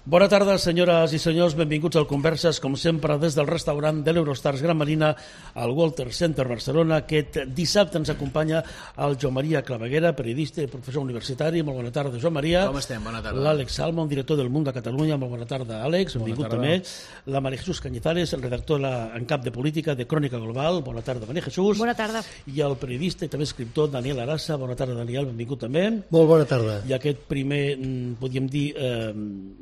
Bona tarda, senyores i senyors, benvinguts al Converses, com sempre, des del restaurant de l'Eurostars Gran Marina al Walter Center Barcelona. Aquest dissabte ens acompanya el Joan Maria Claveguera, periodista i professor universitari. Molt bona tarda, Joan Maria. Com estem? Bona tarda. L'Àlex Salmon, director del Mundo a Catalunya. Molt bona tarda, Àlex. Benvingut també. La María Jesús Cañizares, el redactor en cap de política de Crònica Global. Bona tarda, María Jesús. Bona tarda. I el periodista i també escriptor Daniel Arasa. Bona tarda, Daniel. Benvingut també. Molt bona tarda. I aquest primer, podríem dir,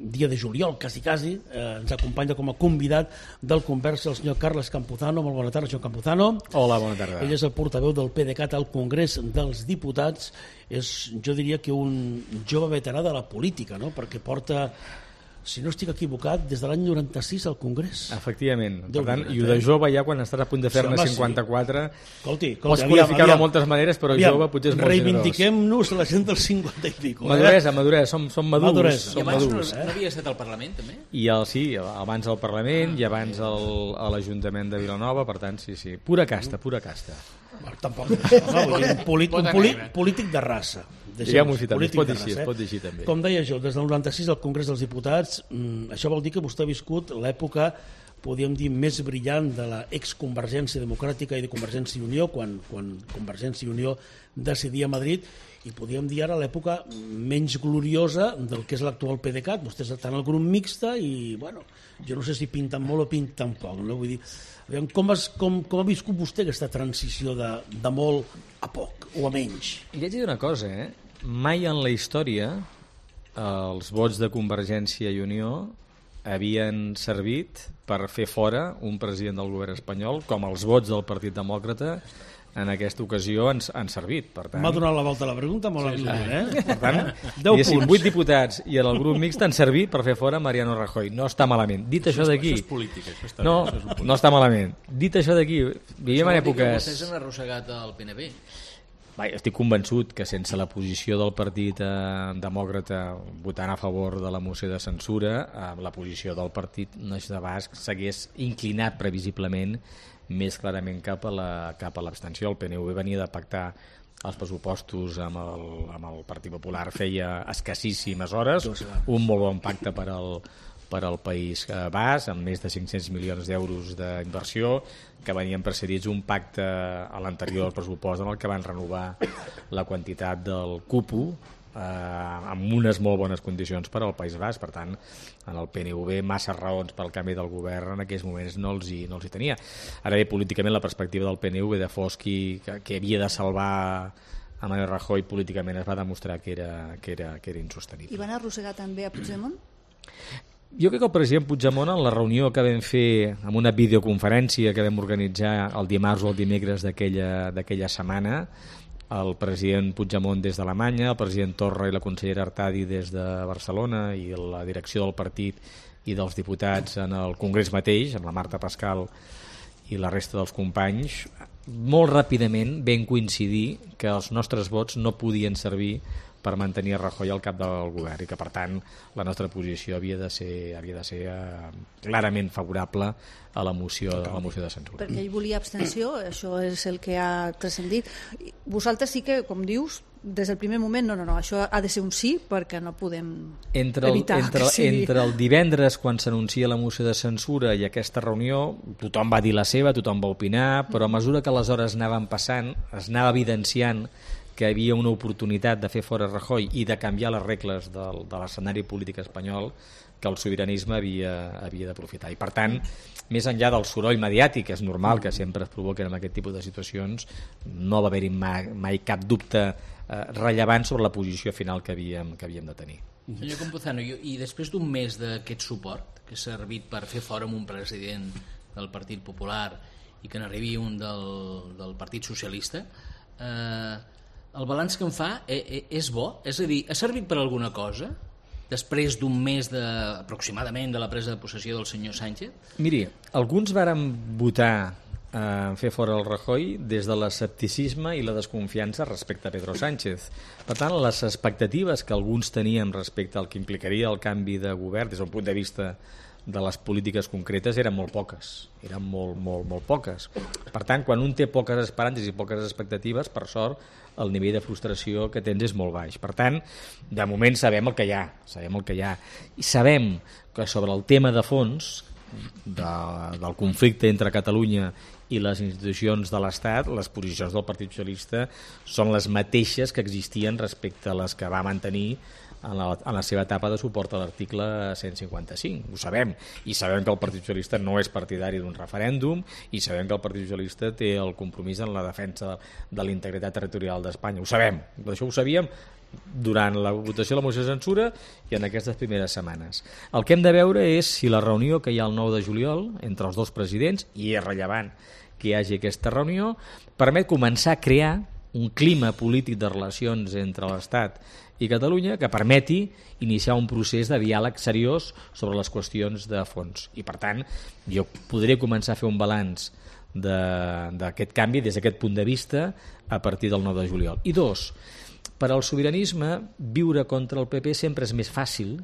dia de juliol, quasi, ens acompanya com a convidat del Conversa el senyor Carles Campuzano. Molt bona tarda, senyor Campuzano. Hola, bona tarda. Ell és el portaveu del PDeCAT al Congrés dels Diputats. És, jo diria que un jove veterà de la política, no? Perquè porta, si no estic equivocat, des de l'any 96 al Congrés. Efectivament. Per tant, i de jove ja quan estàs a punt de fer-ne 54... Escolti, pots qualificar-ho de moltes maneres, però jove potser és molt generós. Reivindiquem-nos la gent dels 50 i pico. Maduresa, som madurs. I abans no havia estat al Parlament, també? Sí, abans al Parlament i abans a l'Ajuntament de Vilanova, per tant, sí. Pura casta. Tampoc. Un polític de raça. Diguem-ho així també, es pot dir així també. Com deia jo, des del 96 al Congrés dels Diputats, això vol dir que vostè ha viscut l'època, podríem dir, més brillant de la exconvergència democràtica i de Convergència i Unió, quan Convergència i Unió decidia a Madrid, i podríem dir ara l'època menys gloriosa del que és l'actual PDeCAT. Vostè està en el grup mixta i, bueno, jo no sé si pinten molt o pinten poc, no? Vull dir, com ha viscut vostè aquesta transició de molt a poc o a menys? I haig de dir una cosa, mai en la història els vots de Convergència i Unió havien servit per fer fora un president del govern espanyol com els vots del Partit Demòcrata en aquesta ocasió han servit. Per tant, m'ha donat la volta a la pregunta, molt aviat, Per tant, 8 diputats i el grup mixt han servit per fer fora Mariano Rajoy. No està malament. Dit això d'aquí... Això és política. No està malament. Dit això d'aquí, vivim en èpoques... Vostès han arrossegat el PNB. Estic convençut que sense la posició del Partit Demòcrata votant a favor de la moció de censura, la posició del Partit Nacionalista Basc s'hagués inclinat previsiblement més clarament cap a l'abstenció. El PNV venia de pactar els pressupostos amb el Partit Popular feia escassíssimes hores, un molt bon pacte per al País Basc, amb més de 500 milions d'euros d'inversió, que venien precedits un pacte a l'anterior pressupost en el que van renovar la quantitat del cupo amb unes molt bones condicions per al País Basc. Per tant, en el PNV massa raons pel canvi del govern en aquells moments no els hi tenia. Ara bé, políticament la perspectiva del PNV de Fosqui, que havia de salvar a Mariano Rajoy, políticament es va demostrar que era insostenible. I van arrossegar també a Puigdemont? Jo crec que el president Puigdemont, en la reunió que vam fer amb una videoconferència que vam organitzar el dimarts o el dimecres d'aquella setmana, el president Puigdemont des d'Alemanya, el president Torra i la consellera Artadi des de Barcelona i la direcció del partit i dels diputats en el Congrés mateix, amb la Marta Pascal i la resta dels companys, molt ràpidament vam coincidir que els nostres vots no podien servir per mantenir Rajoy al cap del govern i que, per tant, la nostra posició havia de ser clarament favorable a la moció de censura. Perquè ell volia abstenció, això és el que ha transcendit. Vosaltres sí que, com dius, des del primer moment, no, això ha de ser un sí perquè no podem evitar que sigui. Entre el divendres, quan s'anuncia la moció de censura i aquesta reunió, tothom va dir la seva, tothom va opinar, però a mesura que les hores anaven passant, es anava evidenciant que hi havia una oportunitat de fer fora Rajoy i de canviar les regles de l'escenari polític espanyol que el sobiranisme havia d'aprofitar. I per tant, més enllà del soroll mediàtic, que és normal que sempre es provoquen en aquest tipus de situacions, no va haver-hi mai cap dubte rellevant sobre la posició final que havíem de tenir. Senyor Campuzano, i després d'un mes d'aquest suport que s'ha servit per fer fora un president del Partit Popular i que n'arribi un del Partit Socialista, el balanç que en fa és bo? És a dir, ha servit per alguna cosa després d'un mes aproximadament de la presa de possessió del senyor Sánchez? Miri, alguns varen votar fer fora el Rajoy des de l'escepticisme i la desconfiança respecte a Pedro Sánchez. Per tant, les expectatives que alguns teníem respecte al que implicaria el canvi de govern des d'un punt de vista de les polítiques concretes eren molt poques, eren molt poques. Per tant, quan un té poques esperances i poques expectatives, per sort, el nivell de frustració que tens és molt baix. Per tant, de moment sabem el que hi ha. I sabem que sobre el tema de fons del conflicte entre Catalunya i les institucions de l'Estat, les posicions del Partit Socialista són les mateixes que existien respecte a les que va mantenir en la seva etapa de suport a l'article 155. Ho sabem. I sabem que el Partit Socialista no és partidari d'un referèndum i sabem que el Partit Socialista té el compromís en la defensa de la integritat territorial d'Espanya. Ho sabem. Això ho sabíem durant la votació de la moció de censura i en aquestes primeres setmanes. El que hem de veure és si la reunió que hi ha el 9 de juliol entre els dos presidents, i és rellevant que hi hagi aquesta reunió, permet començar a crear un clima polític de relacions entre l'Estat i Catalunya que permeti iniciar un procés de diàleg seriós sobre les qüestions de fons. I per tant, jo podré començar a fer un balanç d'aquest canvi des d'aquest punt de vista a partir del 9 de juliol. I dos, per al sobiranisme, viure contra el PP sempre és més fàcil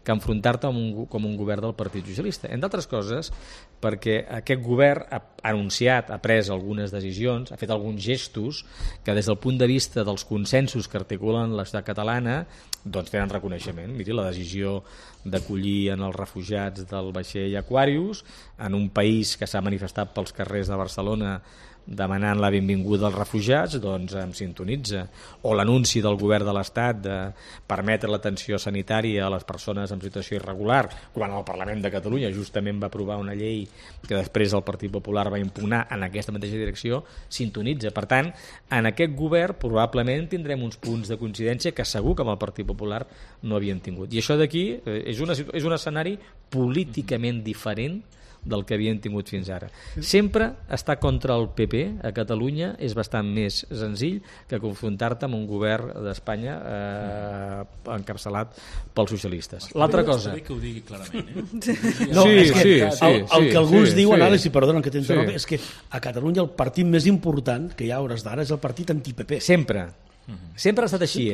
que enfrontar-te com un govern del Partit Socialista. Entre altres coses, perquè aquest govern ha anunciat, ha pres algunes decisions, ha fet alguns gestos que des del punt de vista dels consensos que articulen la societat catalana doncs tenen reconeixement. Miri, la decisió d'acollir en els refugiats del vaixell Aquarius en un país que s'ha manifestat pels carrers de Barcelona demanant la benvinguda als refugiats, doncs em sintonitza. O l'anunci del govern de l'Estat de permetre l'atenció sanitària a les persones en situació irregular, quan el Parlament de Catalunya justament va aprovar una llei que després el Partit Popular va impugnar en aquesta mateixa direcció, sintonitza. Per tant, en aquest govern probablement tindrem uns punts de coincidència que segur que amb el Partit Popular no havien tingut. I això d'aquí és un escenari políticament diferent del que havien tingut fins ara. Sempre estar contra el PP a Catalunya és bastant més senzill que confrontar-te amb un govern d'Espanya encapçalat pels socialistes. L'altra cosa... Està bé que ho digui clarament, Sí. El que alguns diuen, Àlex, i perdona que t'interrompi, és que a Catalunya el partit més important que hi ha a hores d'ara és el partit anti-PP. Sempre ha estat així,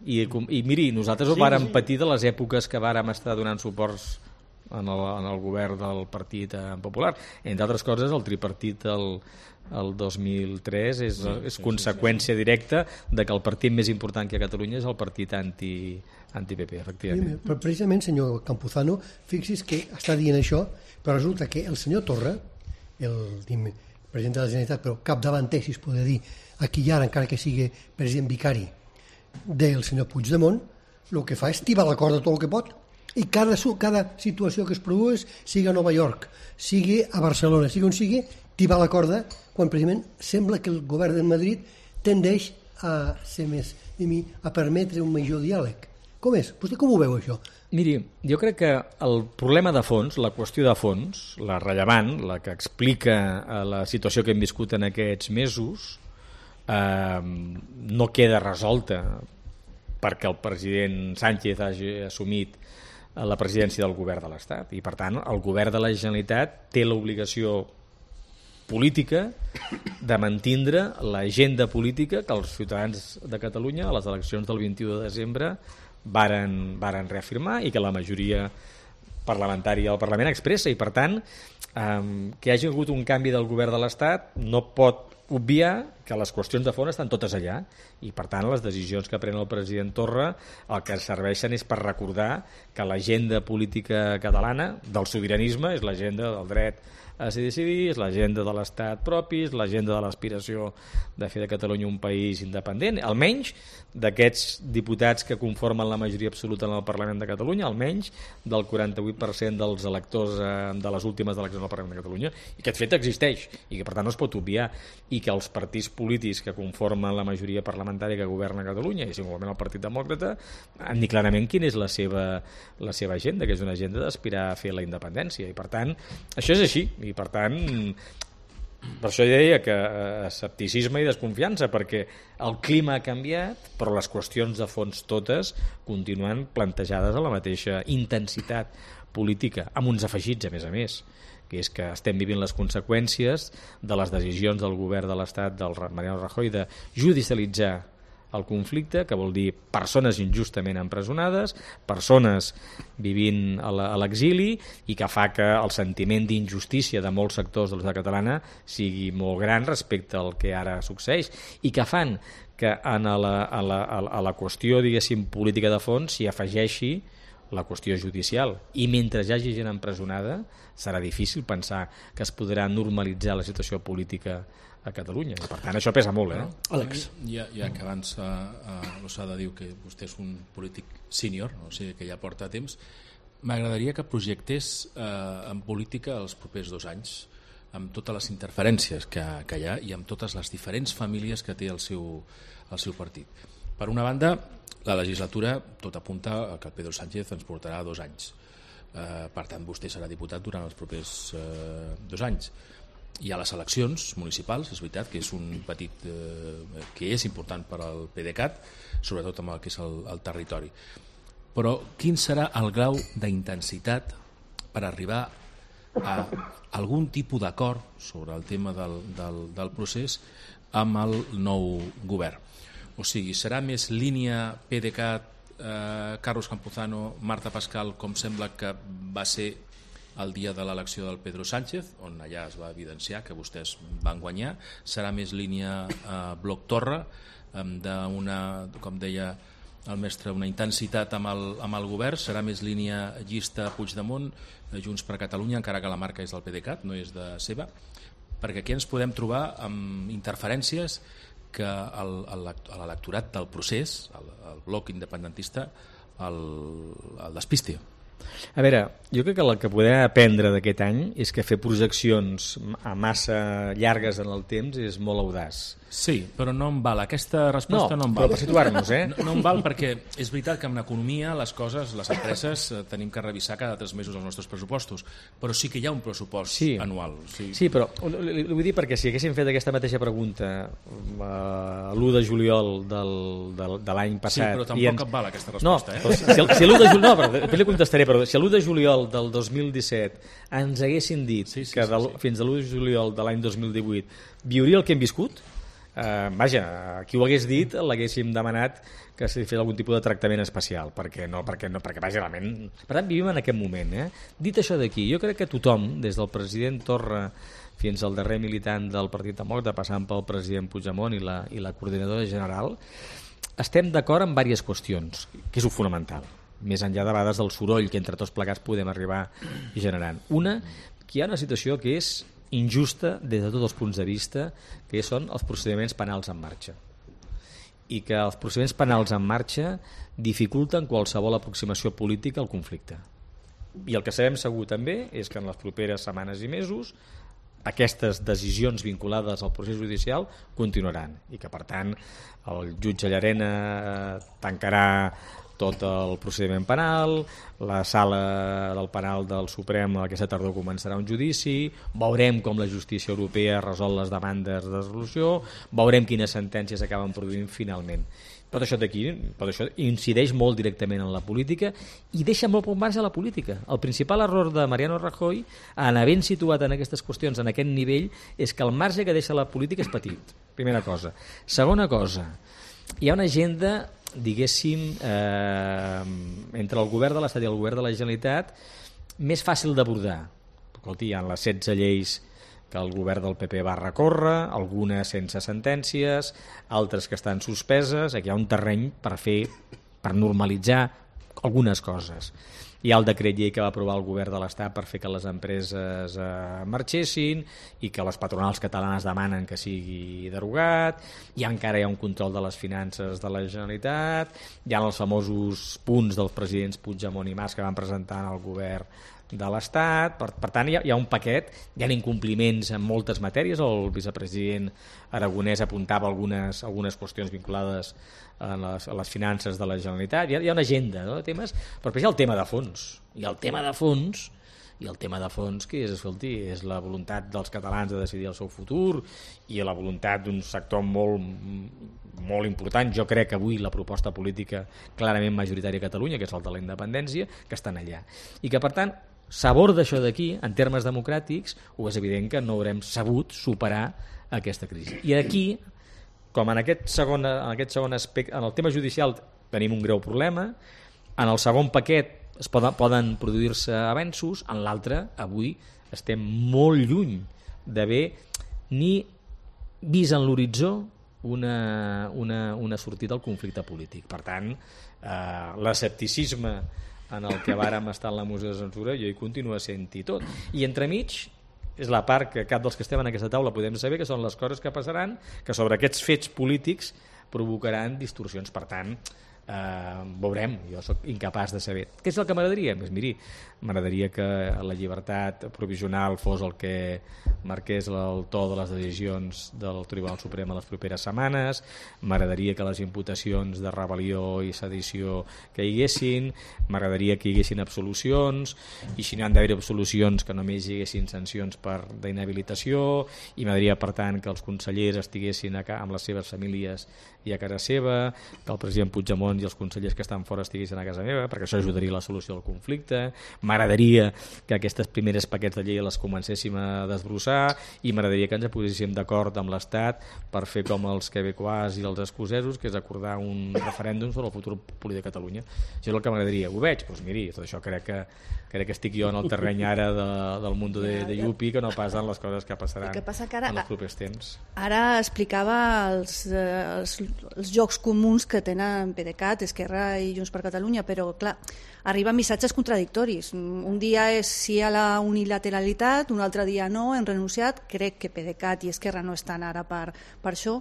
I miri, nosaltres ho vàrem patir de les èpoques que vàrem estar donant suports en el govern del Partit Popular. Entre altres coses, el tripartit el 2003 és conseqüència directa de que el partit més important que a Catalunya és el partit anti-PP, efectivament. Però precisament, senyor Campuzano, fixi's que està dient això, però resulta que el senyor Torra, el president de la Generalitat, però capdavanter, si es pot dir, aquí i ara, encara que sigui president vicari del senyor Puigdemont, el que fa és tibar la corda tot el que pot. I cada situació que es produeix, sigui a Nova York, sigui a Barcelona, sigui on sigui, tibar la corda, quan precisament sembla que el govern de Madrid tendeix a ser més, a permetre un major diàleg. Com és? Vostè com ho veu, això? Miri, jo crec que el problema de fons, la qüestió de fons, la rellevant, la que explica la situació que hem viscut en aquests mesos, no queda resolta perquè el president Sánchez hagi assumit la presidència del govern de l'Estat i per tant el govern de la Generalitat té l'obligació política de mantindre l'agenda política que els ciutadans de Catalunya a les eleccions del 21 de desembre varen reafirmar i que la majoria parlamentària del Parlament expressa i per tant que hi hagi hagut un canvi del govern de l'Estat no pot obviar que les qüestions de fons estan totes allà i per tant les decisions que pren el president Torra el que serveixen és per recordar que l'agenda política catalana del sobiranisme és l'agenda del dret a decidir, és l'agenda de l'Estat propi, és l'agenda de l'aspiració de fer de Catalunya un país independent, almenys d'aquests diputats que conformen la majoria absoluta en el Parlament de Catalunya, almenys del 48% dels electors de les últimes eleccions del Parlament de Catalunya, i aquest fet existeix, i que per tant no es pot obviar, i que els partits polítics que conformen la majoria parlamentària que governa Catalunya, i singularment el Partit Demòcrata, han dit clarament quina és la seva agenda, que és una agenda d'aspirar a fer la independència, i per tant, això és així, i per tant per això deia que escepticisme i desconfiança perquè el clima ha canviat però les qüestions de fons totes continuen plantejades a la mateixa intensitat política amb uns afegits a més que és que estem vivint les conseqüències de les decisions del govern de l'Estat del Mariano Rajoy de judicialitzar el conflicte, que vol dir persones injustament empresonades, persones vivint a l'exili, i que fa que el sentiment d'injustícia de molts sectors de la societat catalana sigui molt gran respecte al que ara succeeix, i que fan que a la qüestió, diguéssim, política de fons s'hi afegeixi la qüestió judicial. I mentre hi hagi gent empresonada, serà difícil pensar que es podrà normalitzar la situació política a Catalunya. Per tant, això pesa molt, Àlex. Ja que abans l'Ossada diu que vostè és un polític sènior, o sigui que ja porta temps, m'agradaria que projectés en política els propers 2 anys, amb totes les interferències que hi ha i amb totes les diferents famílies que té el seu partit. Per una banda, la legislatura tot apunta que el Pedro Sánchez ens portarà 2 anys. Per tant, vostè serà diputat durant els propers 2 anys. Hi ha les eleccions municipals, és veritat que és un petit que és important per al PDeCAT, sobretot amb el que és el territori. Però quin serà el grau d'intensitat per arribar a algun tipus d'acord sobre el tema del procés amb el nou govern? O sigui, serà més línia PDeCAT, Carlos Campuzano, Marta Pascal, com sembla que va ser el dia de l'elecció del Pedro Sánchez, on allà es va evidenciar que vostès van guanyar? Serà més línia Bloc Torra, com deia el mestre, una intensitat amb el govern? Serà més línia llista Puigdemont, Junts per Catalunya, encara que la marca és del PDeCAT, no és de seva? Perquè aquí ens podem trobar amb interferències que l'electorat del procés, el bloc independentista, el despisti. A veure, jo crec que el que podem aprendre d'aquest any és que fer projeccions a massa llargues en el temps és molt audaç. Sí, però no em val, aquesta resposta no em val. Però per situar-nos, No em val perquè és veritat que en economia les coses, les empreses, tenim que revisar cada 3 mesos els nostres pressupostos, però sí que hi ha un pressupost anual. Sí, però li vull dir perquè si haguéssim fet aquesta mateixa pregunta l'1 de juliol de l'any passat... Sí, però tampoc em val aquesta resposta. Si l'1 de juliol... No, però després li contestaré, però si l'1 de juliol del 2017 ens haguessin dit que fins a l'1 de juliol de l'any 2018 viuria el que hem viscut, vaja, qui ho hagués dit l'haguéssim demanat que s'hi fes algun tipus de tractament especial, perquè vaja, realment... Per tant, vivim en aquest moment. Dit això d'aquí, jo crec que tothom, des del president Torra fins al darrer militant del Partit Demòcrata, passant pel president Puigdemont i la coordinadora general, estem d'acord en diverses qüestions, que és el fonamental, més enllà de vegades del soroll que entre tots plegats podem arribar generant. Una, que hi ha una situació que és injusta des de tots els punts de vista, que són els procediments penals en marxa, i que els procediments penals en marxa dificulten qualsevol aproximació política al conflicte. I el que sabem segur també és que en les properes setmanes i mesos aquestes decisions vinculades al procés judicial continuaran, i que per tant el jutge Llarena tancarà tot el procediment penal, la sala del penal del Suprem aquesta tardor començarà un judici, veurem com la justícia europea resol les demandes de resolució, veurem quines sentències acaben produint finalment. Tot això d'aquí, això incideix molt directament en la política i deixa molt poc marge a la política. El principal error de Mariano Rajoy, en havent situat en aquestes qüestions en aquest nivell, és que el marge que deixa la política és petit, primera cosa. Segona cosa, hi ha una agenda, diguéssim, entre el govern de l'Estat i el govern de la Generalitat més fàcil d'abordar. Escolti, hi ha les 16 lleis que el govern del PP va recórrer, algunes sense sentències, altres que estan suspeses. Aquí hi ha un terreny per normalitzar algunes coses. Hi ha el decret llei que va aprovar el govern de l'Estat per fer que les empreses marxessin i que les patronals catalanes demanen que sigui derogat. Encara hi ha un control de les finances de la Generalitat. Hi ha els famosos punts dels presidents Puigdemont i Mas que van presentar al govern de l'Estat. Per tant, hi ha un paquet, hi ha incompliments en moltes matèries. El vicepresident Aragonès apuntava algunes qüestions vinculades a les finances de la Generalitat. Hi ha una agenda, no, de temes, però després hi ha el tema de fons. I el tema de fons que és, escolti, és la voluntat dels catalans de decidir el seu futur i la voluntat d'un sector molt important. Jo crec que avui la proposta política clarament majoritària a Catalunya, que és el de la independència, que estan allà. I que, per tant, sabor d'això d'aquí, en termes democràtics, és evident que no haurem sabut superar aquesta crisi. I aquí com en aquest segon aspecte, en el tema judicial tenim un greu problema, en el segon paquet poden produir-se avenços, en l'altre avui estem molt lluny d'haver ni vist en l'horitzó una sortida al conflicte polític. Per tant, l'escepticisme en el que vàrem estar en la moció de censura jo hi continuo sent-hi tot. I entremig és la part que cap dels que estem en aquesta taula podem saber, que són les coses que passaran, que sobre aquests fets polítics provocaran distorsions. Per tant, veurem, jo sóc incapaç de saber. Què és el que m'agradaria? Doncs miri, m'agradaria que la llibertat provisional fos el que marqués el to de les decisions del Tribunal Suprem a les properes setmanes, m'agradaria que les imputacions de rebel·lió i sedició caiguessin, m'agradaria que hi haguessin absolucions, i si no han d'haver absolucions que només hi haguessin sancions d'inhabilitació, i m'agradaria, per tant, que els consellers estiguessin amb les seves famílies i a casa seva, que el president Puigdemont i els consellers que estan fora estiguessin a casa meva, perquè això ajudaria a la solució del conflicte. M'agradaria que aquestes primeres paquets de llei les comencéssim a desbrossar, i m'agradaria que ens poséssim d'acord amb l'Estat per fer com els quebecois i els escocesos, que és acordar un referèndum sobre el futur polític de Catalunya. Això és el que m'agradaria. Ho veig? Doncs miri, tot això crec que estic jo en el terreny ara del món de Yupi, que no passen les coses que passaran en els propers temps. Ara explicava els jocs comuns que tenen PDeCAT, Esquerra i Junts per Catalunya, però clar, arriben missatges contradictoris. Un dia és sí a la unilateralitat, un altre dia no, hem renunciat. Crec que PDeCAT i Esquerra no estan ara per això.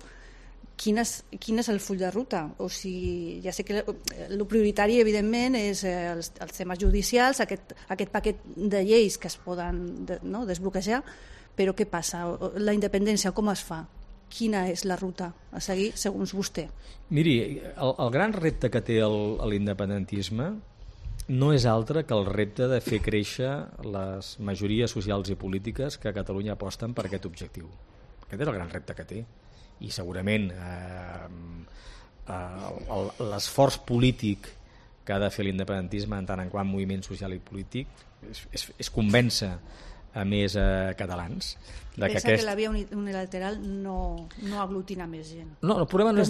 Quin és el full de ruta? O sigui, ja sé que el prioritari, evidentment, és els temes judicials, aquest paquet de lleis que es poden desbloquejar, però què passa? La independència, com es fa? Quina és la ruta a seguir, segons vostè? Miri, el gran repte que té l'independentisme no és altre que el repte de fer créixer les majories socials i polítiques que a Catalunya aposten per aquest objectiu. Aquest és el gran repte que té. I segurament l'esforç polític que ha de fer l'independentisme en tant en quant moviment social i polític és convèncer a més catalans. Pensa que la via unilateral no aglutina més gent. No, el problema no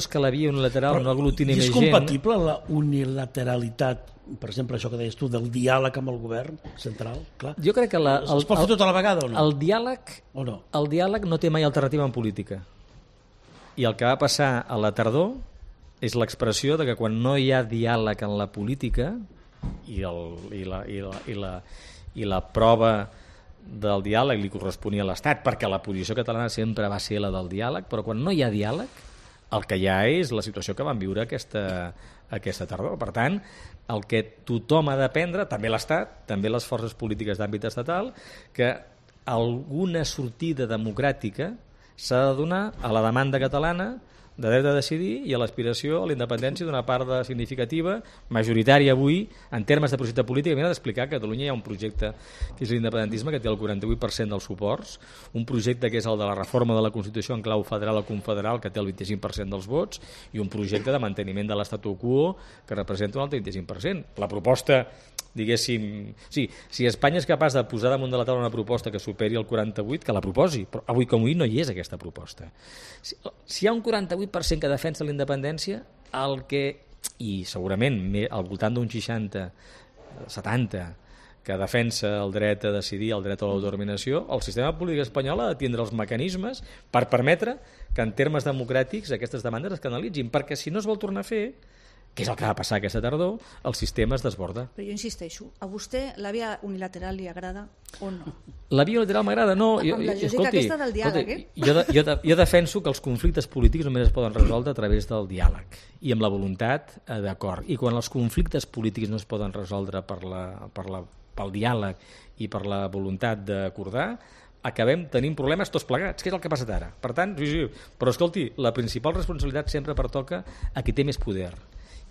és que la via unilateral no aglutini més gent. És compatible la unilateralitat, per exemple, això que deies tu, del diàleg amb el govern central? Clar. Jo crec que es pot fer tota la vegada o no? El diàleg no té mai alternativa en política. I el que va passar a la tardor és l'expressió de que quan no hi ha diàleg en la política i la prova del diàleg li corresponia a l'Estat, perquè la posició catalana sempre va ser la del diàleg, però quan no hi ha diàleg el que hi ha és la situació que vam viure aquesta tardor. Per tant, el que tothom ha d'aprendre, també l'Estat, també les forces polítiques d'àmbit estatal, que alguna sortida democràtica s'ha de donar a la demanda catalana de dret a decidir i a l'aspiració a la independència d'una part significativa, majoritària avui, en termes de projecte polític. M'he d'explicar que a Catalunya hi ha un projecte que és l'independentisme, que té el 48% dels suports, un projecte que és el de la reforma de la Constitució en clau federal o confederal, que té el 25% dels vots, i un projecte de manteniment de l'estatu quo, que representa un altre 25%. La proposta, diguéssim... Sí, si Espanya és capaç de posar damunt de la taula una proposta que superi el 48%, que la proposi, però avui com avui no hi és aquesta proposta. Si hi ha un 48% que defensa la independència, i segurament al voltant d'un 60-70% que defensa el dret a decidir, el dret a l'autodeterminació, el sistema polític espanyol ha de tindre els mecanismes per permetre que en termes democràtics aquestes demandes es canalitzin, perquè si no es vol tornar a fer, que és el que va passar aquesta tardor, el sistema es desborda. Però jo insisteixo, a vostè la via unilateral li agrada o no? La via unilateral m'agrada, no. Amb la lògica aquesta del diàleg, Jo defenso que els conflictes polítics només es poden resoldre a través del diàleg i amb la voluntat d'acord. I quan els conflictes polítics no es poden resoldre pel diàleg i per la voluntat d'acordar, acabem tenint problemes tots plegats, que és el que ha passat ara. Per tant, sí. Però escolti, la principal responsabilitat sempre pertoca a qui té més poder.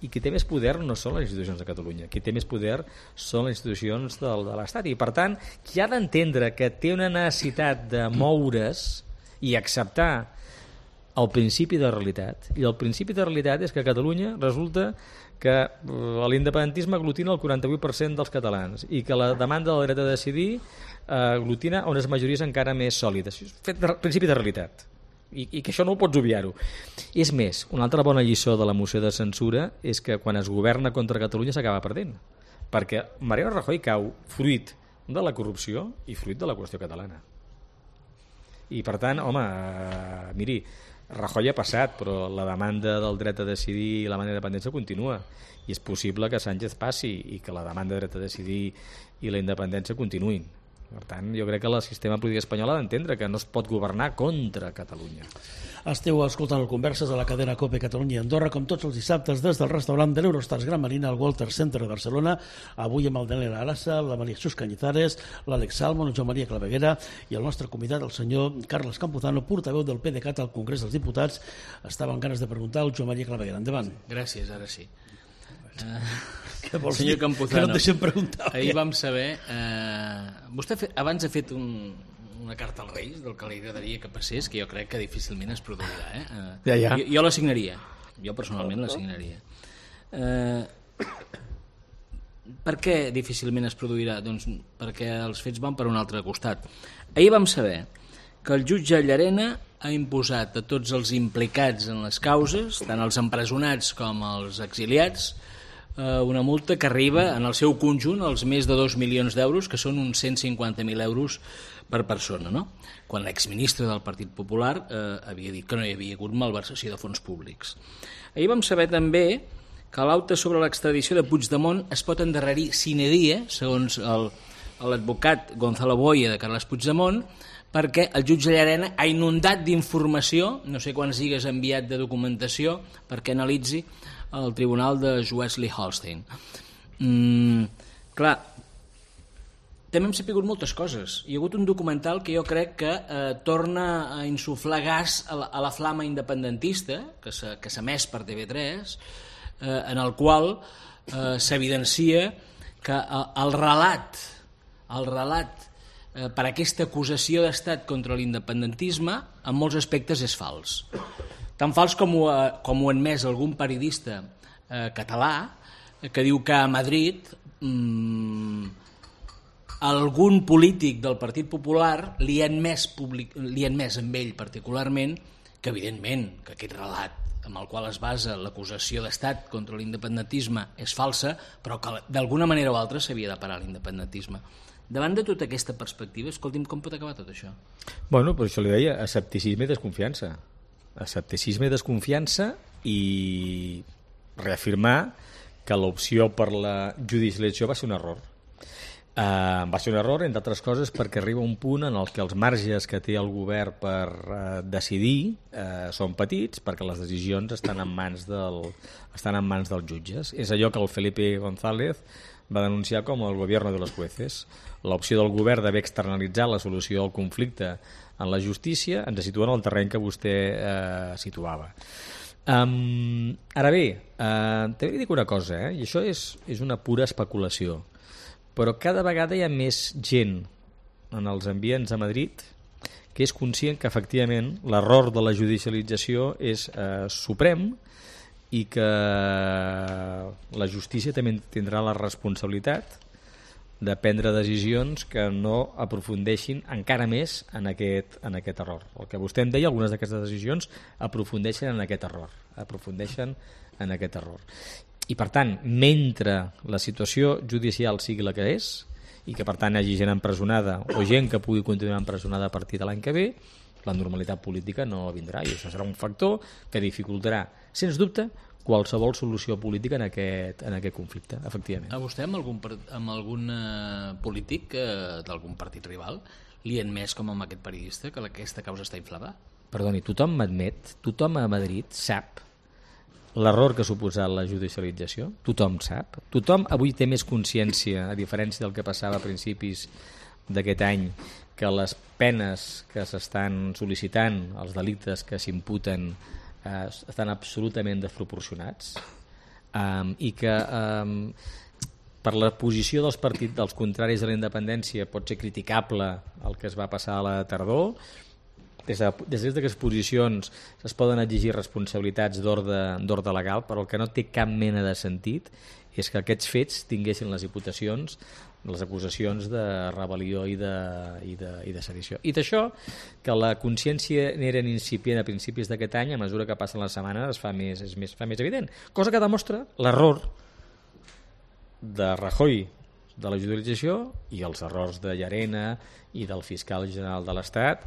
I qui té més poder no són les institucions de Catalunya, qui té més poder són les institucions de l'Estat. I, per tant, qui ha d'entendre que té una necessitat de moure's i acceptar el principi de realitat. I el principi de realitat és que a Catalunya resulta que l'independentisme aglutina el 48% dels catalans i que la demanda del dret a decidir aglutina unes majories encara més sòlides. Principi de realitat. i que això no ho pots obviar-ho. És més, una altra bona lliçó de la moció de censura és que quan es governa contra Catalunya s'acaba perdent, perquè Mariano Rajoy cau fruit de la corrupció i fruit de la qüestió catalana. I per tant, home, miri, Rajoy ha passat, però la demanda del dret a decidir i la demanda d'independència continua, i és possible que Sánchez passi i que la demanda de dret a decidir i la independència continuïn. Per tant, jo crec que el sistema polític espanyol ha d'entendre que no es pot governar contra Catalunya. Esteu escoltant el Converses de la cadena COPE Catalunya i Andorra, com tots els dissabtes, des del restaurant de l'Eurostars Gran Marina al Walter Center de Barcelona, avui amb el Daniel Arassa, la Maria Jesús Cañizares, l'Àlex Salmon, el Joan Maria Claveguera i el nostre convidat, el senyor Carles Campuzano, portaveu del PDeCAT al Congrés dels Diputats. Estava amb ganes de preguntar al Joan Maria Claveguera. Endavant. Gràcies, ara sí. Què vols Senyor dir? Campuzano, Que no et deixem preguntar. ahir vam saber... vostè abans ha fet una carta als Reis del que li agradaria que passés, que jo crec que difícilment es produirà. Ja. Jo la signaria. Jo personalment la signaria. Per què difícilment es produirà? Doncs perquè els fets van per un altre costat. Ahir vam saber que el jutge Llarena ha imposat a tots els implicats en les causes, tant els empresonats com els exiliats, una multa que arriba en el seu conjunt als més de 2 milions d'euros, que són uns 150.000 euros per persona, no? Quan l'exministre del Partit Popular havia dit que no hi havia hagut malversació de fons públics. Ahir vam saber també que l'acte sobre l'extradició de Puigdemont es pot endarrerir sine die, segons l'advocat Gonzalo Boya de Carles Puigdemont, perquè el jutge Llarena ha inundat d'informació, no sé quants gigas ha enviat de documentació, perquè analitzi el tribunal de Schleswig-Holstein. Clar, també hem sapigut moltes coses. Hi ha hagut un documental que jo crec que torna a insuflar gas a la flama independentista, que s'ha emès per TV3, en el qual s'evidencia que el relat per aquesta acusació d'estat contra l'independentisme en molts aspectes és fals. Tan fals com ho ha admès algun periodista català que diu que a Madrid algun polític del Partit Popular li ha admès amb ell particularment que evidentment que aquest relat amb el qual es basa l'acusació d'estat contra l'independentisme és falsa, però que d'alguna manera o altra s'havia de parar l'independentisme. Davant de tota aquesta perspectiva, escolti'm, com pot acabar tot això? Bueno, per això li deia, escepticisme i desconfiança. Escepticisme i desconfiança i reafirmar que l'opció per la judicialització va ser un error. Va ser un error, entre altres coses, perquè arriba un punt en el que els marges que té el govern per decidir són petits, perquè les decisions estan en mans dels jutges. És allò que el Felipe González va denunciar com el gobierno de los jueces. L'opció del govern d'haver externalitzat la solució del conflicte en la justícia ens situa en el terreny que vostè situava. Ara bé, també li dic una cosa, i això és una pura especulació, però cada vegada hi ha més gent en els ambients a Madrid que és conscient que efectivament l'error de la judicialització és suprem i que la justícia també tindrà la responsabilitat de prendre decisions que no aprofundeixin encara més en aquest error. El que vostè em deia, algunes d'aquestes decisions aprofundeixen en aquest error. I per tant, mentre la situació judicial sigui la que és i que per tant hi hagi gent empresonada o gent que pugui continuar empresonada a partir de l'any que ve, la normalitat política no vindrà i això serà un factor que dificultarà, sens dubte, qualsevol solució política en aquest conflicte, efectivament. A vostè amb algun polític d'algun partit rival li ha admès, com amb aquest periodista, que aquesta causa està inflada? Perdoni, tothom m'admet, tothom a Madrid sap l'error que ha suposat la judicialització, tothom sap, tothom avui té més consciència, a diferència del que passava a principis d'aquest any, que les penes que s'estan sol·licitant, els delictes que s'imputen, estan absolutament desproporcionats i que per la posició dels partits dels contraris a la independència pot ser criticable el que es va passar a la tardor. Des d'aquestes posicions es poden exigir responsabilitats d'ordre legal, però el que no té cap mena de sentit és que aquests fets tinguessin les imputacions les acusacions de rebel·lió i de sedició. I d'això, que la consciència n'era incipient a principis d'aquest any, a mesura que passen les setmanes fa més evident. Cosa que demostra l'error de Rajoy de la judicialització i els errors de Llarena i del fiscal general de l'Estat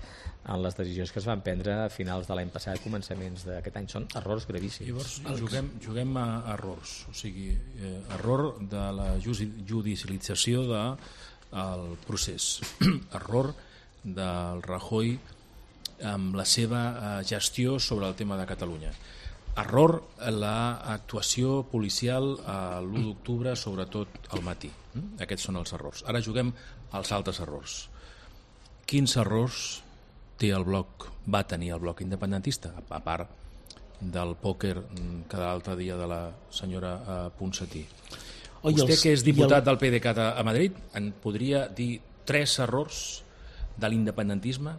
en les decisions que es van prendre a finals de l'any passat, començaments d'aquest any. Són errors gravíssims. Llavors, juguem a errors, o sigui, error de la judicialització del procés, error del Rajoy amb la seva gestió sobre el tema de Catalunya, error l'actuació policial l'1 d'octubre, sobretot al matí. Aquests són els errors. Ara juguem als altres errors. Quins errors té el bloc, va tenir el bloc independentista, a part del pòquer que l'altre dia de la senyora Ponsatí? Vostè, que és diputat del PDeCAT a Madrid, en podria dir 3 errors de l'independentisme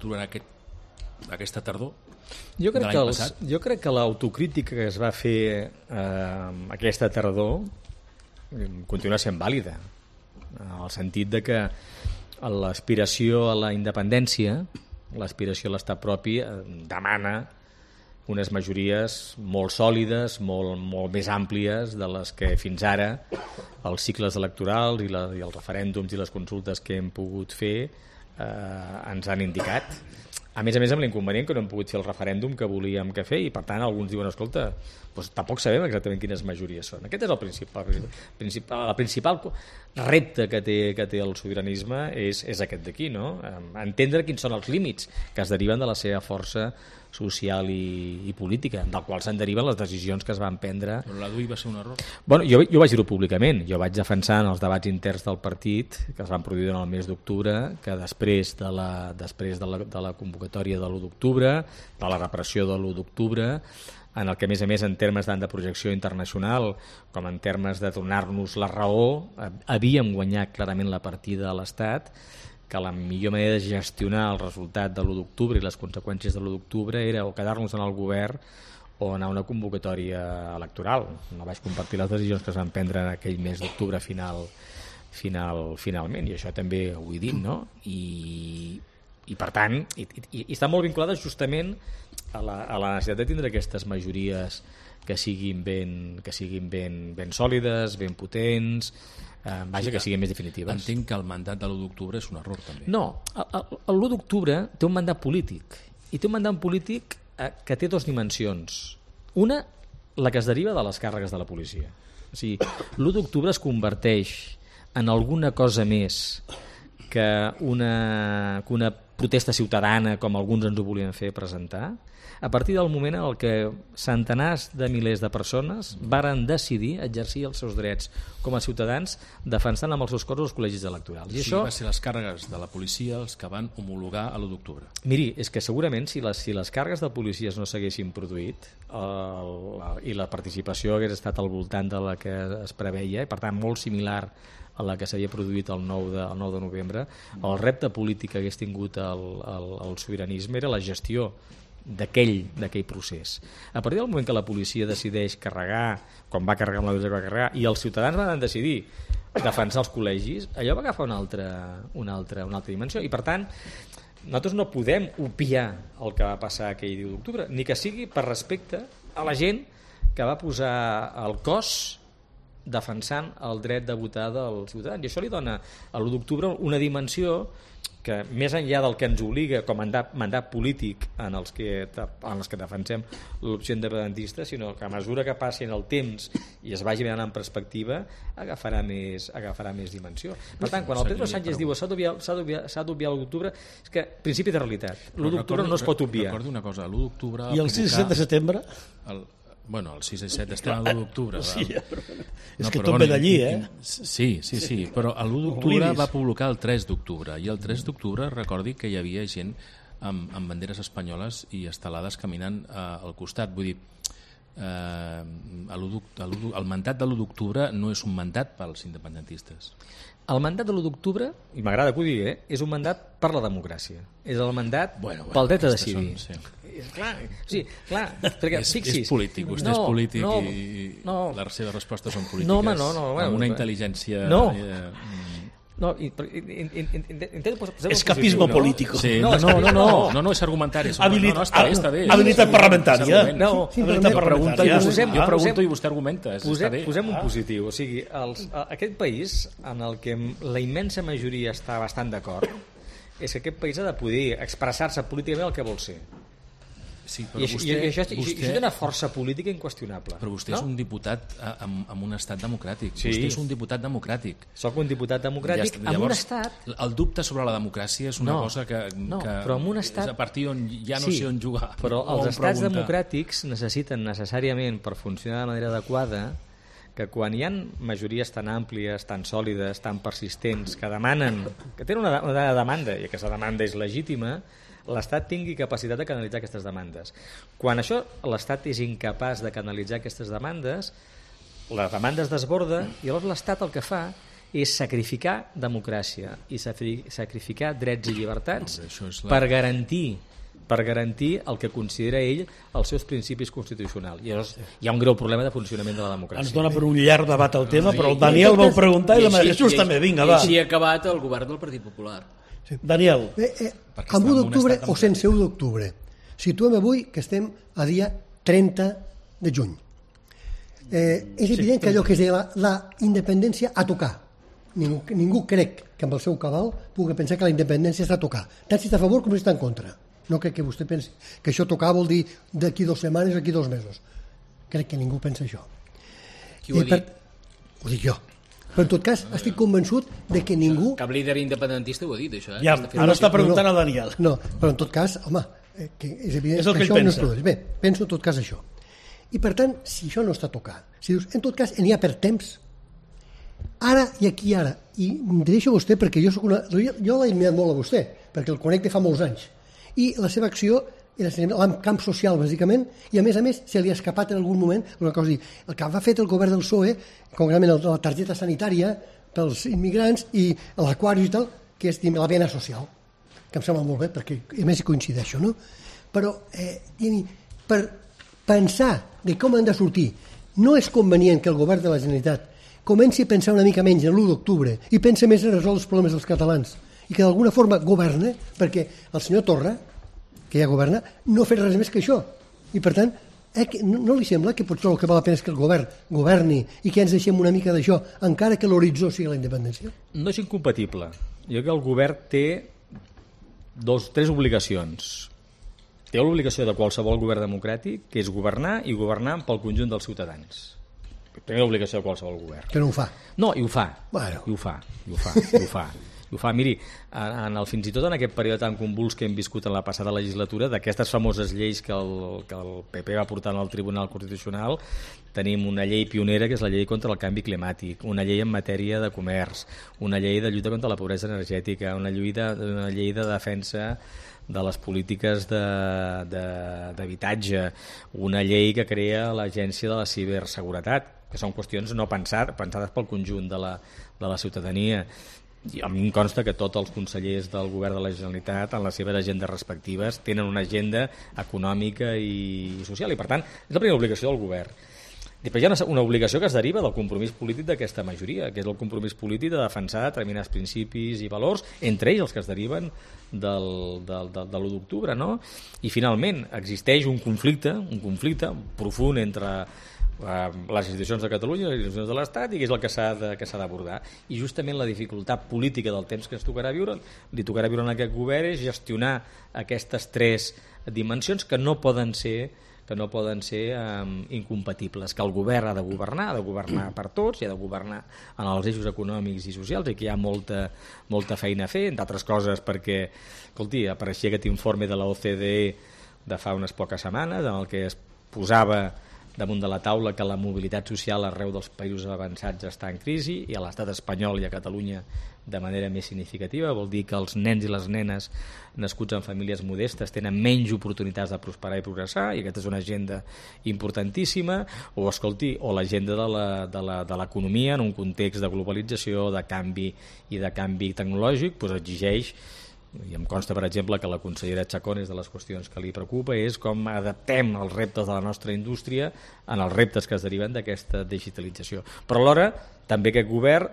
durant aquesta tardor? Jo crec que l'autocrítica que es va fer aquesta tardor continua sent vàlida, en el sentit de que l'aspiració a la independència, l'aspiració a l'estat propi, demana unes majories molt sòlides, molt més àmplies de les que fins ara els cicles electorals i els referèndums i les consultes que hem pogut fer ens han indicat. A més amb l'inconvenient que no hem pogut fer el referèndum que volíem que fer, i per tant alguns diuen, escolta, doncs tampoc sabem exactament quines majories són. Aquest és el principal repte que té el sobiranisme, és aquest d'aquí, no? Entendre quins són els límits que es deriven de la seva força social i política, del qual se'n deriven les decisions que es van prendre. Però la DUI va ser un error? Bueno, jo vaig dir-ho públicament. Jo vaig defensar en els debats interns del partit, que es van produir durant el mes d'octubre, que després de la convocatòria de l'1 d'octubre, de la repressió de l'1 d'octubre, en el que, a més, en termes tant de projecció internacional com en termes de donar-nos la raó, havíem guanyat clarament la partida a l'Estat, que la millor manera de gestionar el resultat de l'1 d'octubre i les conseqüències de l'1 d'octubre era o quedar-nos en el govern o anar a una convocatòria electoral. No vaig compartir les decisions que es van prendre en aquell mes d'octubre finalment, i això també ho he dit, no? I per tant, i està molt vinculada justament a la necessitat de tindre aquestes majories que siguin ben sòlides, ben potents, que siguin més definitives. Entenc que el mandat de l'1 d'octubre és un error, també. No, l'1 d'octubre té un mandat polític, i té un mandat polític que té 2 dimensions. Una, la que es deriva de les càrregues de la policia. O sigui, l'1 d'octubre es converteix en alguna cosa més que una protesta ciutadana, com alguns ens ho volien fer presentar, a partir del moment en què centenars de milers de persones varen decidir exercir els seus drets com a ciutadans defensant amb els seus cossos els col·legis electorals. I això va ser les càrregues de la policia els que van homologar a l'1 d'octubre. Miri, és que segurament si les càrregues de policies no s'haguessin produït i la participació hagués estat al voltant de la que es preveia, i per tant molt similar a la que s'havia produït el 9 de novembre, el repte polític que hagués tingut el sobiranisme era la gestió d'aquell procés. A partir del moment que la policia decideix carregar, com va carregar amb la que va carregar, i els ciutadans van decidir defensar els col·legis, allò va agafar una altra dimensió, i per tant nosaltres no podem obviar el que va passar aquell 10 d'octubre, ni que sigui per respecte a la gent que va posar el cos defensant el dret de votar dels ciutadans, i això li dona a l'1 d'octubre una dimensió que més enllà del que ens obliga com a mandat polític en els que defensem l'opció independentista, sinó que a mesura que passi el temps i es vagi mirant en perspectiva agafarà més dimensió. Per tant, quan el Pedro Sánchez diu s'ha d'obviar l'1 d'octubre, és que principi de realitat, l'1 d'octubre no es pot obviar. Recordo una cosa, l'1 d'octubre... I el 6 i 7 de setembre? Bueno, el 6 i 7 estem a l'1 d'octubre. Sí, és que tot ve d'allí, Sí, però l'1 d'octubre va publicar el 3 d'octubre, i el 3 d'octubre recordi que hi havia gent amb banderes espanyoles i estelades caminant al costat. Vull dir, el mandat de l'1 d'octubre no és un mandat pels independentistes. El mandat de l'1 d'octubre, i m'agrada que ho digui, és un mandat per la democràcia. És el mandat pel dret a decidir. Clar, perquè fixis... És polític, vostè és polític i les seves respostes són polítiques. Amb una intel·ligència... Escapismo político. No, és argumentari. Està bé. Habilitat parlamentària. Jo pregunto i vostè argumenta. Posem un positiu. O sigui, aquest país, en el que la immensa majoria està bastant d'acord, és que aquest país ha de poder expressar-se políticament el que vol ser. Sí, I això té una força política inqüestionable. Però vostè és un diputat en un estat democràtic. Vostè és un diputat democràtic. Soc un diputat democràtic en un estat... El dubte sobre la democràcia és una cosa que però en un estat... és a partir on ja no sé on jugar. Però els estats democràtics necessiten necessàriament, per funcionar de manera adequada, que quan hi ha majories tan àmplies, tan sòlides, tan persistents, que demanen, que tenen una demanda, i aquesta demanda és legítima, l'Estat tingui capacitat de canalitzar aquestes demandes. Quan això l'Estat és incapaç de canalitzar aquestes demandes, la demanda es desborda i llavors l'Estat el que fa és sacrificar democràcia i sacrificar drets i llibertats per garantir el que considera ell els seus principis constitucionals. I llavors hi ha un greu problema de funcionament de la democràcia. Ens dona per un llarg debat el tema, però el Daniel va preguntar i la Maria Jesús també. Vinga, va. I així ha acabat el govern del Partit Popular. Daniel. Amb 1 d'octubre o sense 1 d'octubre. Situem avui que estem a dia 30 de juny. És evident que allò que es deia la independència a tocar. Ningú crec que amb el seu cabal pugui pensar que la independència està a tocar. Tant si està a favor com si està en contra. No crec que vostè pensi que això tocar vol dir d'aquí 2 setmanes o d'aquí 2 mesos. Crec que ningú pensa això. Qui ho ha dit? Ho dic jo. Però en tot cas estic convençut de que ningú... Cap líder independentista ho ha dit, això. Ja, ara està preguntant a Daniel. No, però en tot cas, home, que és evident és el que això ell no pensa. és bé, penso en tot cas això. I per tant, si això no està tocat, si dius, en tot cas, n'hi ha per temps, ara i aquí ara, i em dirigeixo a vostè perquè jo l'he admirat molt a vostè, perquè el conec de fa molts anys, i la seva acció era en camp social, bàsicament, i a més, se li ha escapat en algun moment una cosa. El que ha fet el govern del PSOE, concretament la targeta sanitària pels immigrants i l'aquari i tal, que és la pena social, que em sembla molt bé, perquè a més hi coincideixo, no? Però per pensar de com han de sortir, no és convenient que el govern de la Generalitat comenci a pensar una mica menys en l'1 d'octubre i pensi més en resoldre els problemes dels catalans i que d'alguna forma governa, perquè el senyor Torra, que ja governa, no fa res més que això. I per tant, no li sembla que potser el que val la pena és que el govern governi i que ens deixem una mica d'això, encara que l'horitzó sigui la independència? No és incompatible. Jo crec que el govern té 3 obligacions. Té l'obligació de qualsevol govern democràtic, que és governar i governar pel conjunt dels ciutadans. Primera obligació de qualsevol govern. Que no ho fa. No, i ho fa. Bueno. I ho fa. Miri, fins i tot en aquest període tan convuls que hem viscut en la passada legislatura, d'aquestes famoses lleis que el PP va portar al Tribunal Constitucional, tenim una llei pionera que és la llei contra el canvi climàtic, una llei en matèria de comerç, una llei de lluita contra la pobresa energètica, una llei de defensa de les polítiques d'habitatge, una llei que crea l'Agència de la Ciberseguretat, que són qüestions no pensades pel conjunt de la ciutadania. I a mi em consta que tots els consellers del govern de la Generalitat en les seves agendes respectives tenen una agenda econòmica i social i per tant és la primera obligació del govern. Després hi ha una obligació que es deriva del compromís polític d'aquesta majoria, que és el compromís polític de defensar determinats principis i valors, entre ells els que es deriven de l'1 d'octubre, no? I finalment existeix un conflicte profund entre les institucions de Catalunya i les institucions de l'Estat i que és el que s'ha d'abordar. I justament la dificultat política del temps que ens tocarà viure en aquest govern és gestionar aquestes 3 dimensions que no poden ser incompatibles, que el govern ha de governar per tots i ha de governar en els eixos econòmics i socials i que hi ha molta feina a fer, entre altres coses perquè, escolti, apareixia aquest informe de la OCDE de fa unes poques setmanes en el que es posava damunt de la taula que la mobilitat social arreu dels països avançats està en crisi i a l'estat espanyol i a Catalunya de manera més significativa. Vol dir que els nens i les nenes nascuts en famílies modestes tenen menys oportunitats de prosperar i progressar, i aquesta és una agenda importantíssima. O, escolti, o l'agenda de l'economia en un context de globalització, de canvi tecnològic, doncs exigeix, i em consta, per exemple, que la consellera Chacón és de les qüestions que li preocupa, és com adaptem els reptes de la nostra indústria en els reptes que es deriven d'aquesta digitalització. Però alhora, també aquest govern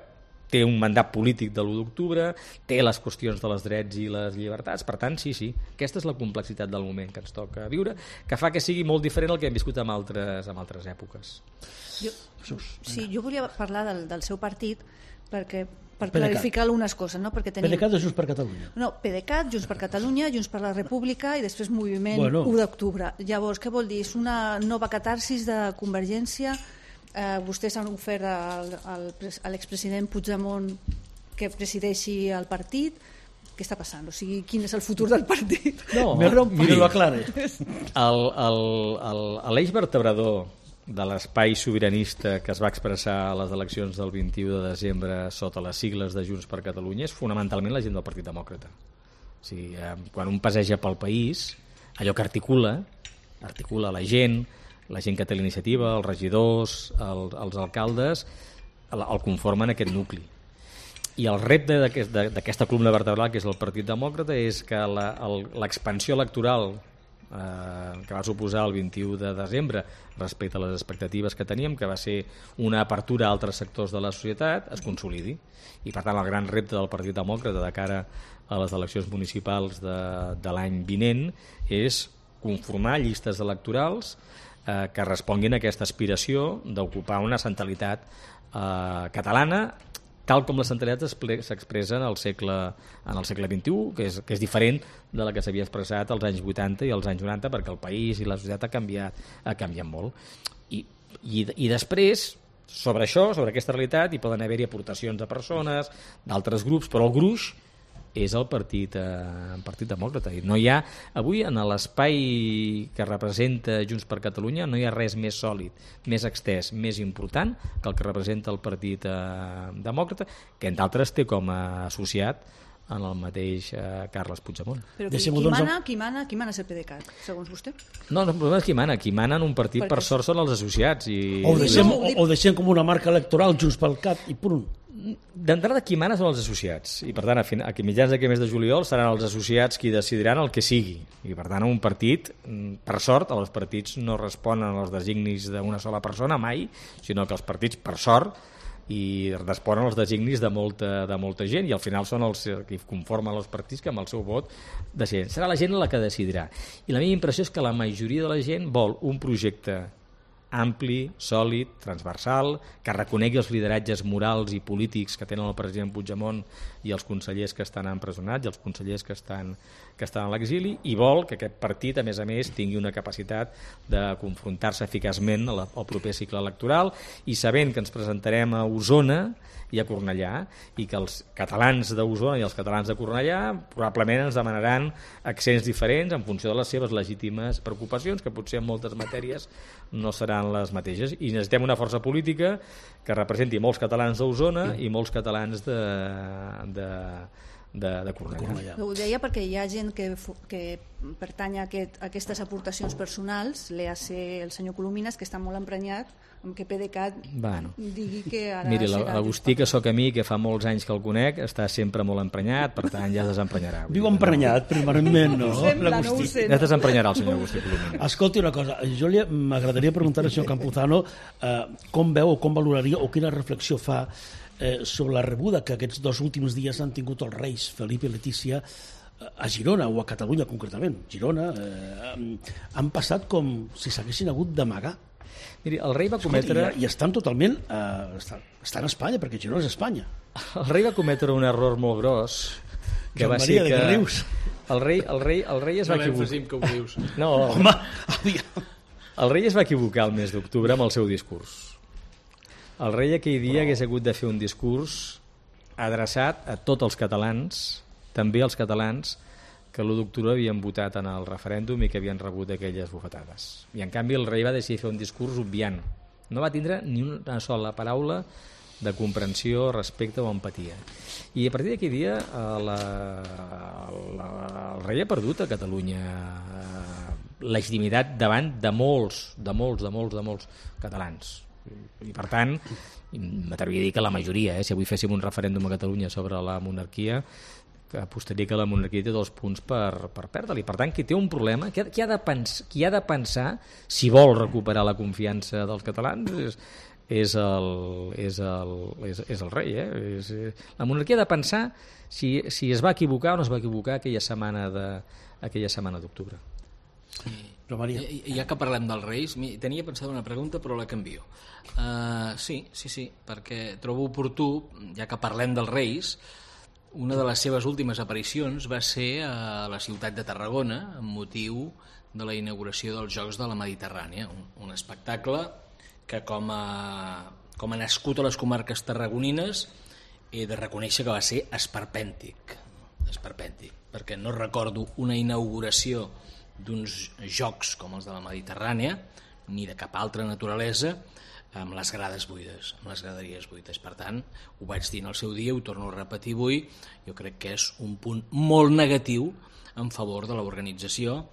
té un mandat polític de l'1 d'octubre, té les qüestions de les drets i les llibertats, per tant, sí, aquesta és la complexitat del moment que ens toca viure, que fa que sigui molt diferent el que hem viscut en altres èpoques. Jo volia parlar del seu partit, perquè per clarificar algunes coses, no? Perquè tenim... PDeCAT o Junts per Catalunya? No, PDeCAT, Junts per Catalunya, Junts per la República i després Moviment 1 d'octubre. Llavors, què vol dir? És una nova catarsis de Convergència. Vostès han ofert a l'expresident Puigdemont que presideixi el partit. Què està passant? O sigui, quin és el futur del partit? No, mira-lo aclare. L'eix vertebrador de l'espai sobiranista que es va expressar a les eleccions del 21 de desembre sota les sigles de Junts per Catalunya és fonamentalment la gent del Partit Demòcrata. O sigui, quan un passeja pel país, allò que articula la gent que té la iniciativa, els regidors, els alcaldes, el conformen aquest nucli. I el repte d'aquesta columna vertebral, que és el Partit Demòcrata, és que l'expansió electoral que va suposar el 21 de desembre respecte a les expectatives que teníem, que va ser una apertura a altres sectors de la societat, es consolidi. I per tant el gran repte del Partit Demòcrata de cara a les eleccions municipals de l'any vinent és conformar llistes electorals que responguin a aquesta aspiració d'ocupar una centralitat catalana tal com la centralitat s'expressa en el segle XXI, que és diferent de la que s'havia expressat als anys 80 i als anys 90, perquè el país i la societat ha canviat molt. I després, sobre això, sobre aquesta realitat, hi poden haver-hi aportacions de persones, d'altres grups, però el gruix és el Partit Demòcrata. I no hi ha, avui, en l'espai que representa Junts per Catalunya, no hi ha res més sòlid, més extès, més important que el que representa el Partit Demòcrata, que entre altres té com a associat en el mateix Carles Puigdemont. Però qui mana és el PDeCAT, segons vostè? No, el problema és qui mana en un partit, per sort, són els associats. O deixem com una marca electoral Junts pel Cat i punt. D'entrada, qui mana són els associats, i per tant a mitjans d'aquest mes de juliol seran els associats qui decidiran el que sigui, i per tant un partit, per sort, els partits no responen als designis d'una sola persona mai, sinó que els partits, per sort, i responen als designis de molta gent, i al final són els que conformen els partits que amb el seu vot decideixen. Serà la gent la que decidirà, i la meva impressió és que la majoria de la gent vol un projecte ampli, sòlid, transversal, que reconegui els lideratges morals i polítics que tenen el president Puigdemont i els consellers que estan empresonats i els consellers que estan a l'exili, i vol que aquest partit, a més, tingui una capacitat de confrontar-se eficaçment al proper cicle electoral, i sabent que ens presentarem a Osona i a Cornellà, i que els catalans d'Osona i els catalans de Cornellà probablement ens demanaran accents diferents en funció de les seves legítimes preocupacions, que potser en moltes matèries no seran les mateixes, i necessitem una força política que representi molts catalans d'Osona i molts catalans de Cornellà. Ho deia perquè hi ha gent que pertany a aquestes aportacions personals, l'EAC, el senyor Colomines, que està molt emprenyat amb que PDeCAT digui que ara... Miri, l'Agustí, que sóc a mi, que fa molts anys que el conec, està sempre molt emprenyat, per tant ja es desemprenyarà. Diu emprenyat, permanentment, no? No ho sé. Ja es desemprenyarà el senyor Agustí Colomines. Escolti una cosa, jo m'agradaria preguntar al senyor Campuzano com veu o com valoraria o quina reflexió fa sobre la rebuda que aquests 2 últims dies han tingut els reis Felip i Letícia a Girona, o a Catalunya concretament. Girona han passat com si s'haguessin hagut d'amagar. Miri, el rei va cometre... I estan totalment... estan a Espanya, perquè Girona és Espanya. El rei va cometre un error molt gros, que va ser que... El rei es va equivocar... No, home, el rei es va equivocar el mes d'octubre amb el seu discurs. El rei aquell dia hagués hagut de fer un discurs adreçat a tots els catalans, també als catalans que l'1 d'octubre havien votat en el referèndum i que havien rebut aquelles bufetades. I en canvi el rei va decidir fer un discurs obviant. No va tindre ni una sola paraula de comprensió, respecte o empatia. I a partir d'aquell dia el rei ha perdut a Catalunya legitimitat davant de molts catalans. I per tant, m'atreviria a dir que la majoria, si avui féssim un referèndum a Catalunya sobre la monarquia, apostaria que la monarquia té 2 punts per perdre-li. Per tant, qui té un problema, qui ha de pensar si vol recuperar la confiança dels catalans és el rei. La monarquia ha de pensar si es va equivocar o no es va equivocar aquella setmana d'octubre. Sí. Però Maria, ja que parlem dels Reis, tenia pensada una pregunta però la canvio. Sí, perquè trobo oportú, ja que parlem dels Reis, una de les seves últimes aparicions va ser a la ciutat de Tarragona amb motiu de la inauguració dels Jocs de la Mediterrània, un espectacle que com a nascut a les comarques tarragonines he de reconèixer que va ser esperpèntic, perquè no recordo una inauguració d'uns jocs com els de la Mediterrània ni de cap altra naturalesa amb les grades buides, amb les graderies buides. Per tant, ho vaig dir en el seu dia, ho torno a repetir avui, jo crec que és un punt molt negatiu en favor de l'organització,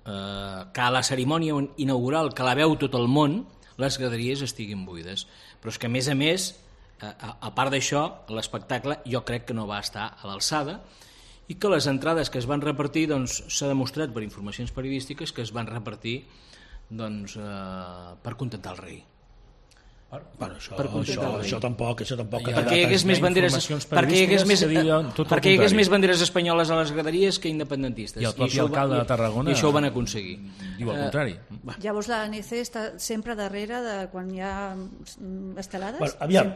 que a la cerimònia inaugural, que la veu tot el món, les graderies estiguin buides. Però és que, a més, a part d'això, l'espectacle jo crec que no va estar a l'alçada i que les entrades que es van repartir, doncs, s'ha demostrat per informacions periodístiques que es van repartir per contentar el rei. Bueno, això tampoc. Perquè hi hagués més banderes espanyoles a les graderies que independentistes. I el propi alcalde de Tarragona i això ho van aconseguir. Diu el contrari. Llavors l'ANC està sempre darrere de quan hi ha estelades? Bueno, aviam.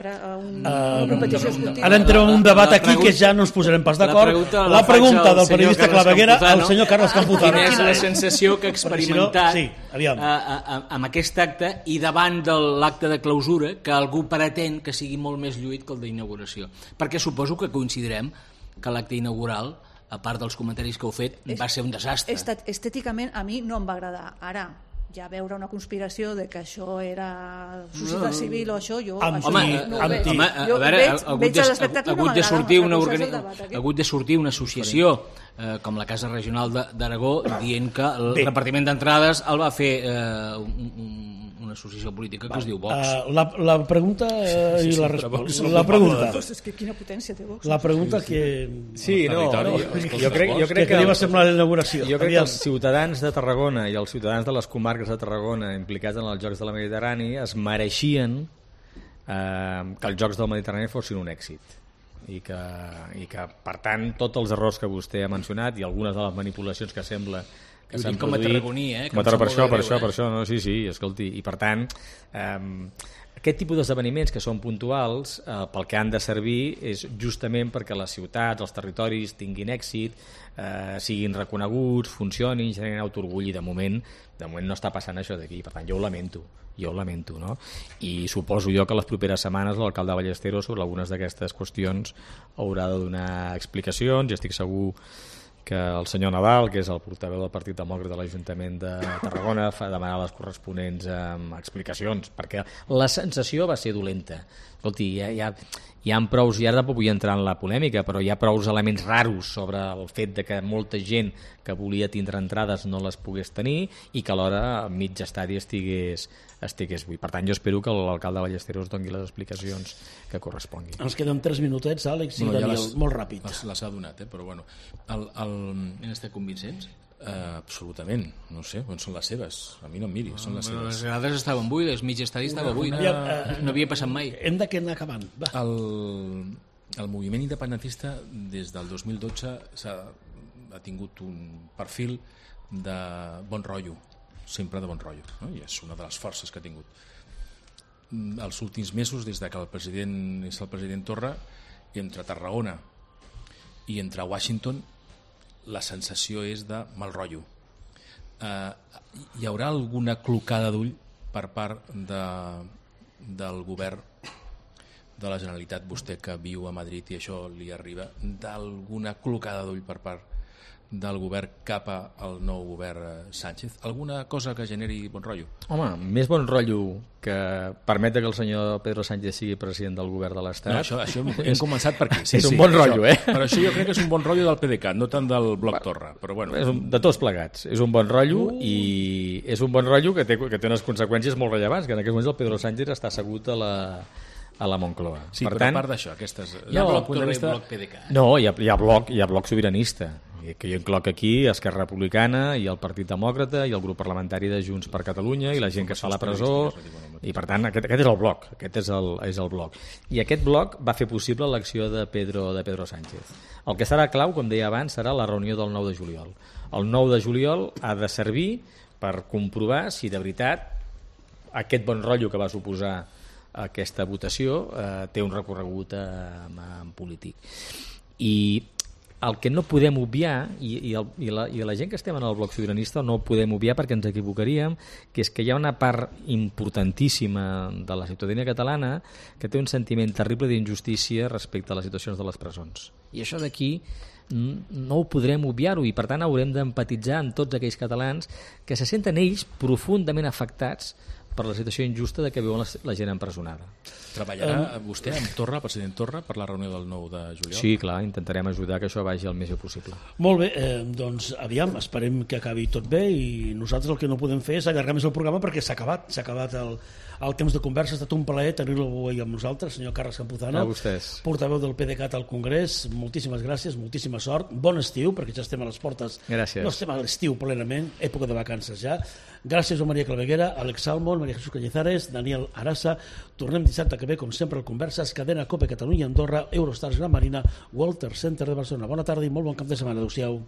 Una petició esportiva. Ara entrem en un debat aquí que ja no ens posarem pas d'acord. La pregunta del periodista Claveguera al senyor Carles Campuzano. Quina és la sensació que ha experimentat amb aquest acte i davant de l'acte de clausura que algú pretén que sigui molt més lluït que el d'inauguració, perquè suposo que coincidirem que l'acte inaugural, a part dels comentaris que heu fet, va ser un desastre. Estèticament a mi no em va agradar. Ara, ja veure una conspiració de que això era societat civil o això, jo no ho veig. Ha hagut de sortir una associació com la Casa Regional d'Aragó dient que el repartiment d'entrades el va fer una associació política que es diu Vox. La pregunta i la resposta. La pregunta. És que quina potència té Vox. La pregunta que... Sí, no, jo crec que va semblar l'inauguració. Jo crec que els ciutadans de Tarragona i els ciutadans de les comarques de Tarragona implicats en els Jocs de la Mediterrània es mereixien que els Jocs del Mediterrani fossin un èxit. I que, per tant, tots els errors que vostè ha mencionat i algunes de les manipulacions que sembla que s'han com a tarragoní, per això, no? Sí, escolti, i per tant aquest tipus d'esdeveniments que són puntuals pel que han de servir és justament perquè les ciutats, els territoris tinguin èxit, siguin reconeguts, funcionin, generin autoorgull, i de moment no està passant això d'aquí, per tant jo ho lamento, no? I suposo jo que les properes setmanes l'alcalde Ballesteros sobre algunes d'aquestes qüestions haurà de donar explicacions, i estic segur que el senyor Nadal, que és el portaveu del Partit Demòcrata de l'Ajuntament de Tarragona, fa demanar les corresponents explicacions, perquè la sensació va ser dolenta. Escolti, hi ha prous, i ara tampoc vull entrar en la polèmica, però hi ha prous elements raros sobre el fet de que molta gent que volia tindre entrades no les pogués tenir i que alhora mig estadi estigués buit. Per tant, jo espero que l'alcalde Ballesteros doni les explicacions que corresponguin. Ens queden 3 minutets, Àlex i Daniel, molt ràpid. Les ha donat, però bueno. Han estat convincents? Absolutament, no sé, on són les seves? A mi no em miri, són les seves. Les grades estaven buides, mig estadi estava buit, no havia passat mai. Hem d'anar acabant. El moviment independentista des del 2012 ha tingut un perfil de bon rotllo, sempre de bon rotllo, no? I és una de les forces que ha tingut. Els últims mesos, des que el president Torra, entre Tarragona i entre Washington, la sensació és de mal rotllo. Hi haurà alguna clocada d'ull per part del govern de la Generalitat, vostè que viu a Madrid i això li arriba, d'alguna clocada d'ull per part del govern cap al nou govern Sánchez? Alguna cosa que generi bon rotllo? Home, més bon rotllo que permetre que el senyor Pedro Sánchez sigui president del govern de l'Estat. No, això hem començat per aquí. Sí, és un bon rotllo, Però això jo crec que és un bon rotllo del PDeCAT, no tant del Bloc Torra. Però bueno. De tots plegats. És un bon rotllo i és un bon rotllo que té unes conseqüències molt rellevants, que en aquests moments el Pedro Sánchez està assegut a la Moncloa. Sí, però a part d'això, aquestes... Hi ha Bloc Torra i Bloc PDeCAT. No, hi ha bloc sobiranista, que jo incloc aquí Esquerra Republicana i el Partit Demòcrata i el grup parlamentari de Junts per Catalunya i la gent que està a la presó, i per tant aquest és el bloc, aquest és el bloc. I aquest bloc va fer possible l'elecció de Pedro Sánchez. El que serà clau, com deia abans, serà la reunió del 9 de juliol. El 9 de juliol ha de servir per comprovar si de veritat aquest bon rotllo que va suposar aquesta votació té un recorregut polític. I el que no podem obviar, i la gent que estem en el bloc sobiranista no ho podem obviar perquè ens equivocaríem, que és que hi ha una part importantíssima de la ciutadania catalana que té un sentiment terrible d'injustícia respecte a les situacions de les presons. I això d'aquí no ho podrem obviar-ho, i per tant haurem d'empatitzar amb tots aquells catalans que se senten ells profundament afectats per la situació injusta de que viuen la gent empresonada. Treballarà vostè amb Torra, president Torra, per la reunió del 9 de juliol? Sí, clar, intentarem ajudar que això vagi el més bé possible. Molt bé, doncs aviam, esperem que acabi tot bé, i nosaltres el que no podem fer és allargar més el programa perquè s'ha acabat el temps de conversa. Ha estat un plaer tenir-lo avui amb nosaltres, senyor Carles Campuzano, portaveu del PDeCAT al Congrés. Moltíssimes gràcies, moltíssima sort, bon estiu, perquè ja estem a les portes. Gràcies. No estem a l'estiu plenament, època de vacances ja. Gràcies a Maria Claveguera, Àlex Salmon, Maria Jesús Cañizares, Daniel Arasa. Tornem dissabte que ve, com sempre, al Converses, Cadena Cope Catalunya, Andorra, Eurostars Gran Marina, Walter Center de Barcelona. Bona tarda i molt bon cap de setmana. Adéu-siau.